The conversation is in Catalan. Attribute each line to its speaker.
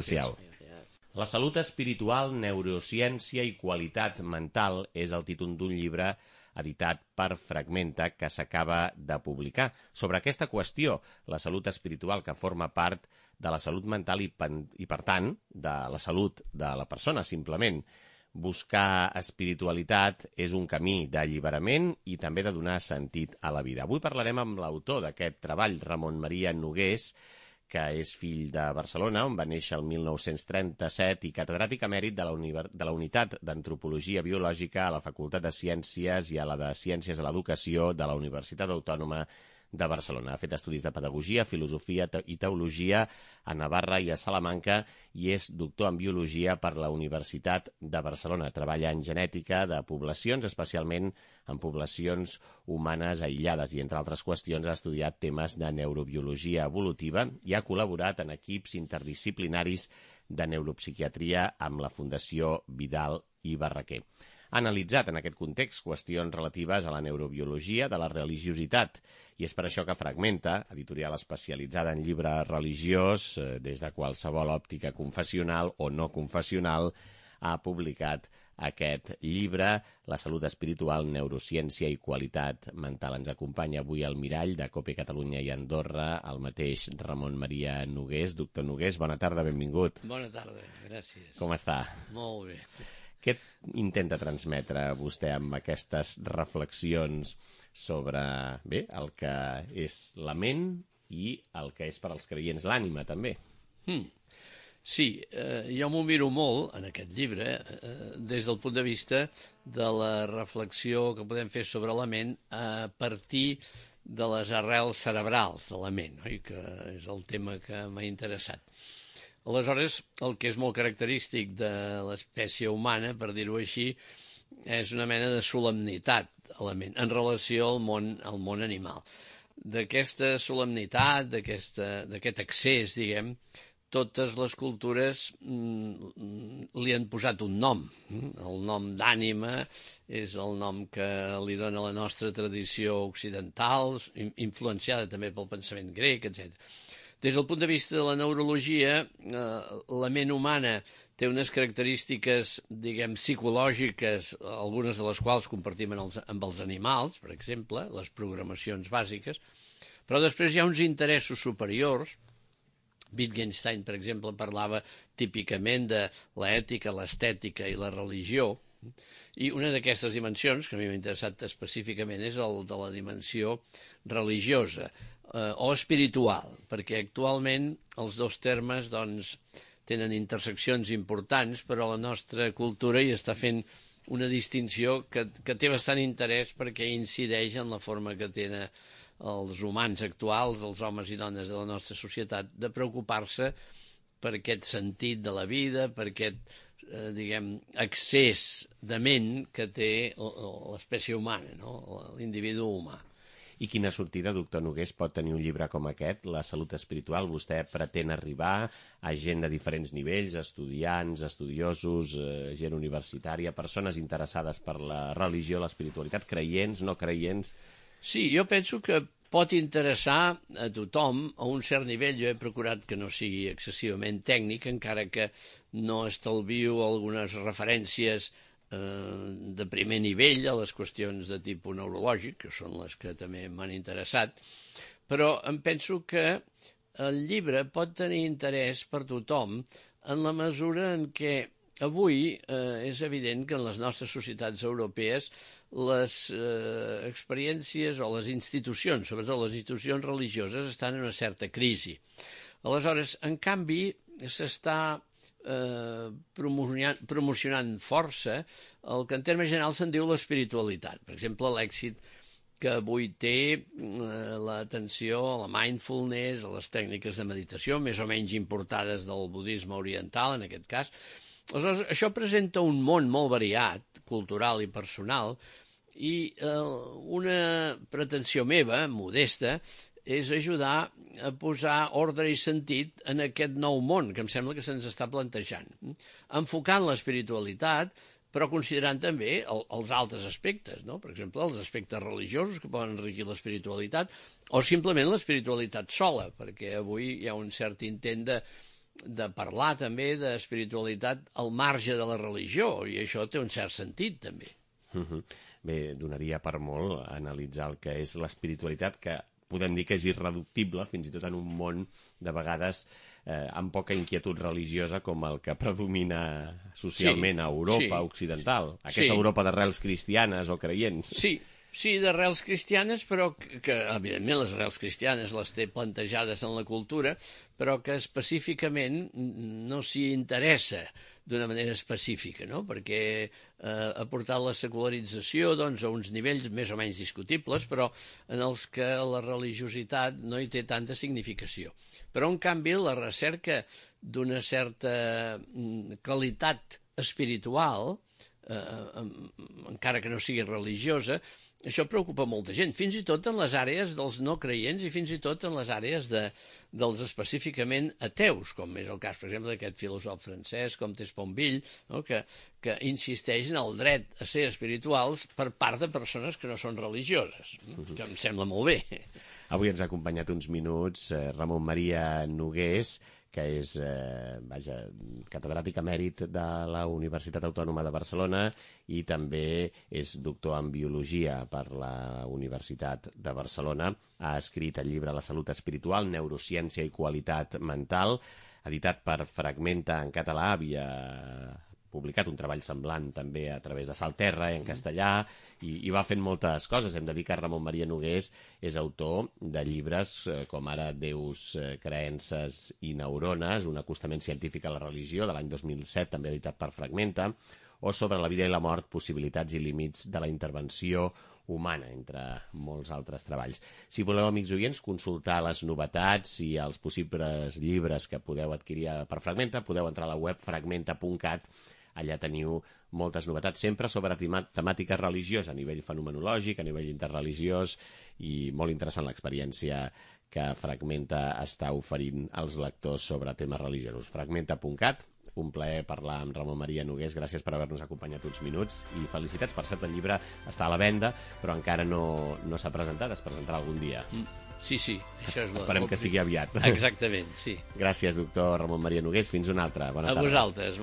Speaker 1: social. La salut espiritual, neurociència i qualitat mental és el títol d'un llibre editat per Fragmenta que s'acaba de publicar. Sobre aquesta qüestió, la salut espiritual que forma part de la salut mental i per tant, de la salut de la persona, simplement. Buscar espiritualitat és un camí d'alliberament i també de donar sentit a la vida. Avui parlarem amb l'autor d'aquest treball, Ramon Maria Nogués, que és fill de Barcelona, on va néixer el 1937 i catedràtic emèrit de la Unitat d'Antropologia Biològica a la Facultat de Ciències i a la de Ciències de l'Educació de la Universitat Autònoma de Barcelona. Ha fet estudis de pedagogia, filosofia i teologia a Navarra i a Salamanca i és doctor en biologia per la Universitat de Barcelona. Treballa en genètica de poblacions, especialment en poblacions humanes aïllades i, entre altres qüestions, ha estudiat temes de neurobiologia evolutiva i ha col·laborat en equips interdisciplinaris de neuropsiquiatria amb la Fundació Vidal i Barraquer. Ha analitzat en aquest context qüestions relatives a la neurobiologia de la religiositat i és per això que Fragmenta, editorial especialitzada en llibre religiós, des de qualsevol òptica confessional o no confessional, ha publicat aquest llibre, La salut espiritual, neurociència i qualitat mental. Ens acompanya avui al mirall de COPE Catalunya i Andorra el mateix Ramon Maria Nogués. Doctor Nogués, bona tarda, benvingut.
Speaker 2: Bona tarda, gràcies.
Speaker 1: Com està?
Speaker 2: Molt bé.
Speaker 1: Què intenta transmetre vostè amb aquestes reflexions sobre el que és la ment i el que és per als creients l'ànima, també?
Speaker 2: Sí, jo m'ho miro molt, en aquest llibre, des del punt de vista de la reflexió que podem fer sobre la ment a partir de les arrels cerebrals de la ment, oi? Que és el tema que m'ha interessat. Aleshores, el que és molt característic de l'espècie humana, per dir-ho així, és una mena de solemnitat a la ment en relació al món animal. D'aquesta solemnitat, d'aquest accés, diguem, totes les cultures li han posat un nom. El nom d'ànima és el nom que li dona la nostra tradició occidental, influenciada també pel pensament grec, etc. Des del punt de vista de la neurologia, la ment humana té unes característiques, diguem, psicològiques, algunes de les quals compartim amb els animals, per exemple, les programacions bàsiques, però després hi ha uns interessos superiors. Wittgenstein, per exemple, parlava típicament de l'ètica, l'estètica i la religió, i una d'aquestes dimensions, que a mi m'ha interessat específicament, és el de la dimensió religiosa, o espiritual, perquè actualment els dos termes doncs, tenen interseccions importants, però la nostra cultura hi està fent una distinció que té bastant interès perquè incideix en la forma que tenen els humans actuals, els homes i dones de la nostra societat, de preocupar-se per aquest sentit de la vida, per aquest, diguem, accés de ment que té l'espècie humana, no? L'individu humà.
Speaker 1: I quina sortida, doctor Nogués, pot tenir un llibre com aquest, La salut espiritual? Vostè pretén arribar a gent de diferents nivells, estudiants, estudiosos, gent universitària, persones interessades per la religió, l'espiritualitat, creients, no creients?
Speaker 2: Sí, jo penso que pot interessar a tothom a un cert nivell. Jo he procurat que no sigui excessivament tècnic, encara que no estalvio algunes referències de primer nivell a les qüestions de tipus neurològic, que són les que també m'han interessat, però em penso que el llibre pot tenir interès per tothom en la mesura en què avui és evident que en les nostres societats europees les experiències o les institucions, sobretot les institucions religioses, estan en una certa crisi. Aleshores, en canvi, s'està promocionant força el que en termes generals se'n diu l'espiritualitat. Per exemple, l'èxit que avui té l'atenció a la mindfulness, a les tècniques de meditació, més o menys importades del budisme oriental, en aquest cas. Aleshores, això presenta un món molt variat, cultural i personal, i una pretensió meva, modesta, és ajudar a posar ordre i sentit en aquest nou món que em sembla que se'ns està plantejant, enfocant l'espiritualitat, però considerant també els altres aspectes, no? Per exemple, els aspectes religiosos que poden enriquir l'espiritualitat, o simplement l'espiritualitat sola, perquè avui hi ha un cert intent de de parlar també d'espiritualitat al marge de la religió, i això té un cert sentit, també.
Speaker 1: Bé, donaria per molt analitzar el que és l'espiritualitat, que podem dir que és irreductible, fins i tot en un món de vegades amb poca inquietud religiosa com el que predomina socialment a Europa occidental. Aquesta Europa d'arrels cristianes o creients.
Speaker 2: Sí, d'arrels cristianes, però que evidentment les arrels cristianes les té plantejades en la cultura, però que específicament no s'hi interessa d'una manera específica, no? Perquè ha portat la secularització doncs, a uns nivells més o menys discutibles, però en els que la religiositat no hi té tanta significació. Però, en canvi, la recerca d'una certa qualitat espiritual, encara que no sigui religiosa, això preocupa molta gent, fins i tot en les àrees dels no creients i fins i tot en les àrees dels específicament ateus, com és el cas, per exemple, d'aquest filòsof francès com Tesponville, no? que insisteix en el dret a ser espirituals per part de persones que no són religioses, que em sembla molt bé.
Speaker 1: Avui ens ha acompanyat uns minuts Ramon Maria Nogués, que és catedràtic emèrit de la Universitat Autònoma de Barcelona i també és doctor en Biologia per la Universitat de Barcelona. Ha escrit el llibre La salut espiritual, neurociència i qualitat mental, editat per Fragmenta en català. Havia publicat un treball semblant també a través de Salterra en castellà i va fent moltes coses. Hem de dir que Ramon Maria Nogués és autor de llibres com ara Déus, creences i neurones, un acostament científic a la religió, de l'any 2007, també editat per Fragmenta, o Sobre la vida i la mort, possibilitats i límits de la intervenció humana, entre molts altres treballs. Si voleu, amics oients, consultar les novetats i els possibles llibres que podeu adquirir per Fragmenta, podeu entrar a la web fragmenta.cat. Allà teniu moltes novetats, sempre sobre temàtica religiosa, a nivell fenomenològic, a nivell interreligiós, i molt interessant l'experiència que Fragmenta està oferint als lectors sobre temes religiosos. Fragmenta.cat. Un plaer parlar amb Ramon Maria Nogués. Gràcies per haver-nos acompanyat uns minuts i felicitats. Per cert, el llibre està a la venda, però encara no s'ha presentat. Es presentarà algun dia.
Speaker 2: Sí, això és
Speaker 1: Esperem que sigui aviat.
Speaker 2: Exactament, sí.
Speaker 1: Gràcies, doctor Ramon Maria Nogués. Fins una altra. Bona tarda.
Speaker 2: A vosaltres, moltes